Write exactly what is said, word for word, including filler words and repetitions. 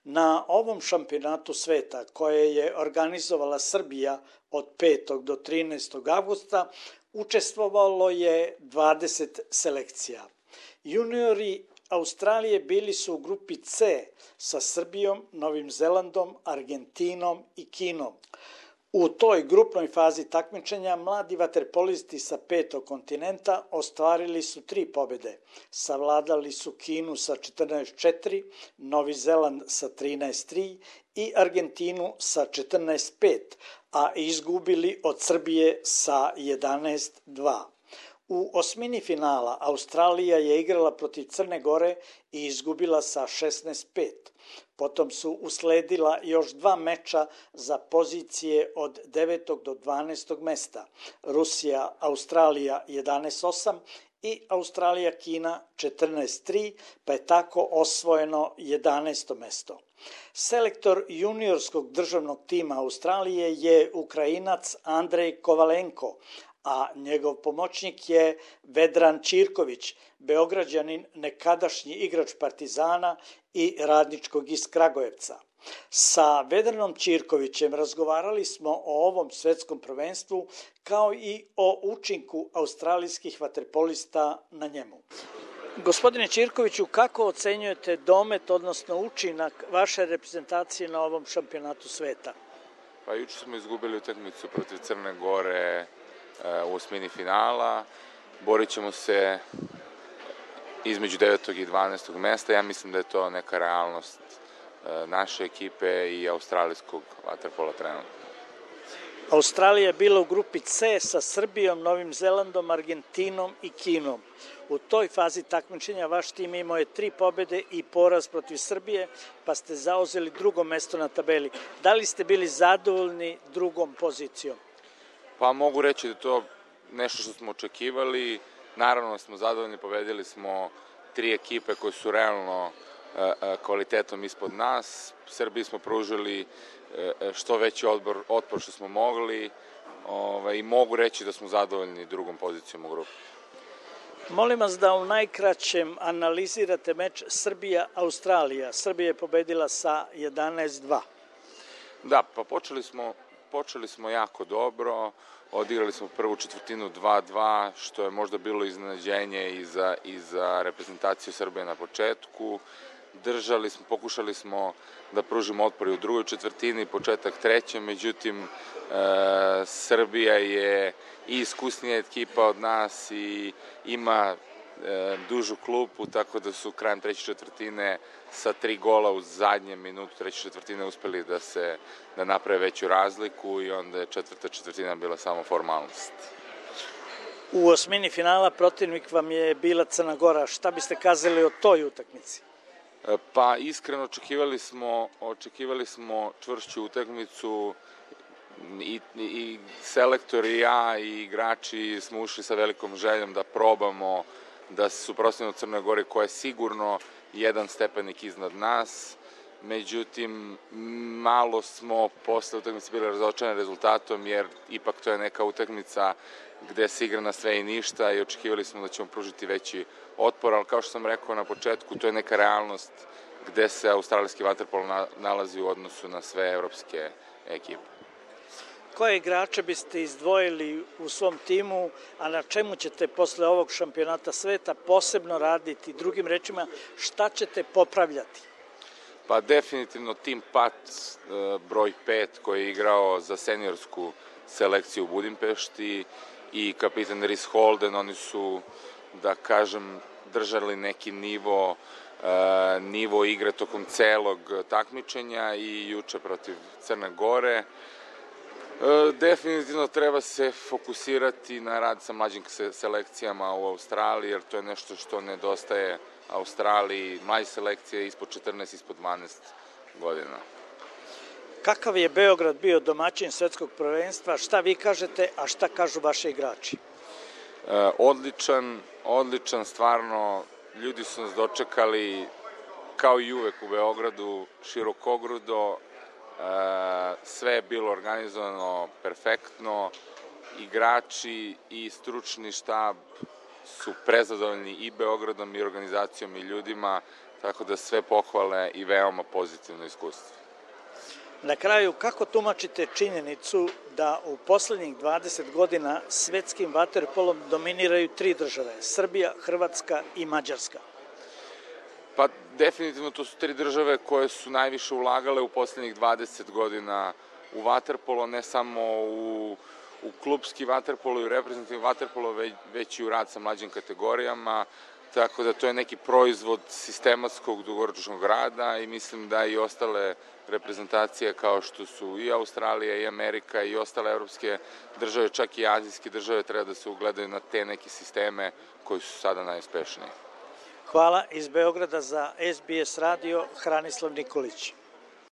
Na ovom šampionatu sveta koje je organizovala Srbija od petog do trinaestog avgusta učestvovalo je dvadeset selekcija. Juniori Australije bili su u grupi C sa Srbijom, Novim Zelandom, Argentinom i Kinom. U toj grupnoj fazi takmičenja mladi vaterpolisti sa petog kontinenta ostvarili su tri pobjede. Savladali su Kinu sa četrnaest četiri, Novi Zeland sa trinaest tri i Argentinu sa četrnaest pet, a izgubili od Srbije sa jedanaest dva. U osmini finala Australija je igrala protiv Crne Gore i izgubila sa šesnaest pet. Potom su usledila još dva meča za pozicije od devetog do dvanaestog mesta. Rusija, Australija jedanaest osam i Australija, Kina četrnaest tri, pa je tako osvojeno jedanaesto mesto. Selektor juniorskog državnog tima Australije je Ukrajinac Andrej Kovalenko, a njegov pomoćnik je Vedran Ćirković, Beograđanin, nekadašnji igrač Partizana i Radničkog iz Kragujevca. Sa Vedranom Ćirkovićem razgovarali smo o ovom svetskom prvenstvu kao i o učinku australijskih vaterpolista na njemu. Gospodine Ćirkoviću, kako ocenjujete domet, odnosno učinak vaše reprezentacije na ovom šampionatu sveta? Pa juče smo izgubili utakmicu protiv Crne Gore u osmini finala. Borit ćemo se između devetog i dvanaestog mesta. Ja mislim da je to neka realnost naše ekipe i australijskog vaterpola trenutno. Australija je bila u grupi C sa Srbijom, Novim Zelandom, Argentinom i Kinom. U toj fazi takmičenja vaš tim imao je tri pobjede i poraz protiv Srbije, pa ste zauzeli drugo mesto na tabeli. Da li ste bili zadovoljni drugom pozicijom? Pa mogu reći da to nešto što smo očekivali. Naravno smo zadovoljni, pobedili smo tri ekipe koje su realno kvalitetom ispod nas. Srbiji smo pružili što veći odbor, otpor što smo mogli i mogu reći da smo zadovoljni drugom pozicijom u grupi. Molim vas da u najkraćem analizirate meč Srbija-Australija. Srbija je pobedila sa jedanaest dva. Da, pa počeli smo, počeli smo jako dobro. Odigrali smo prvu četvrtinu dva dva, što je možda bilo iznenađenje i za, i za reprezentaciju Srbije na početku. Držali smo, pokušali smo da pružimo otpor u drugoj četvrtini, početak treće, međutim e, Srbija je i iskusnija ekipa od nas i ima e, dužu klupu, tako da su krajem treće četvrtine sa tri gola u zadnjem minutu treće četvrtine uspeli da se da naprave veću razliku i onda je četvrta četvrtina bila samo formalnost. U osmini finala protivnik vam je bila Crna Gora. Šta biste kazali o toj utakmici? Pa iskreno očekivali smo, očekivali smo čvršću utakmicu i, i selektor i ja i igrači smo ušli sa velikom željom da probamo da se suprotstavimo Crnoj Gori koja je sigurno jedan stepenik iznad nas. Međutim, malo smo posle utakmice bili razočarani rezultatom jer ipak to je neka utakmica gde se igra na sve i ništa i očekivali smo da ćemo pružiti veći otpor, ali kao što sam rekao na početku, to je neka realnost gde se australijski vaterpolo nalazi u odnosu na sve evropske ekipe. Koje igrače biste izdvojili u svom timu, a na čemu ćete posle ovog šampionata sveta posebno raditi? Drugim rečima, šta ćete popravljati? Pa definitivno tim Pat broj pet koji je igrao za seniorsku selekciju u Budimpešti i kapitan Rhys Holden, oni su, da kažem, držali neki nivo, nivo igre tokom celog takmičenja i juče protiv Crne Gore. Definitivno treba se fokusirati na rad sa mlađim selekcijama u Australiji, jer to je nešto što nedostaje Australiji, mlađe selekcije ispod četrnaest, ispod dvanaest godina. Kakav je Beograd bio domaćin svetskog prvenstva? Šta vi kažete, a šta kažu vaši igrači? E, odličan, odličan, stvarno, ljudi su nas dočekali kao i uvek u Beogradu, širokogrudo, e, sve je bilo organizovano perfektno, igrači i stručni štab su prezadovoljni i Beogradom i organizacijom i ljudima, tako da sve pohvale i veoma pozitivno iskustvo. Na kraju, kako tumačite činjenicu da u poslednjih dvadeset godina svetskim vaterpolom dominiraju tri države, Srbija, Hrvatska i Mađarska? Pa definitivno to su tri države koje su najviše ulagale u poslednjih dvadeset godina u vaterpolo, ne samo u, u klubski vaterpolo i u reprezentativni vaterpolo, već, već i u rad sa mlađim kategorijama, tako da to je neki proizvod sistematskog dugoročnog rada i mislim da i ostale reprezentacije kao što su i Australija i Amerika i ostale evropske države, čak i azijske države, treba da se ugledaju na te neke sisteme koji su sada najuspešniji. Hvala. Iz Beograda za S B S radio, Hranislav Nikolić.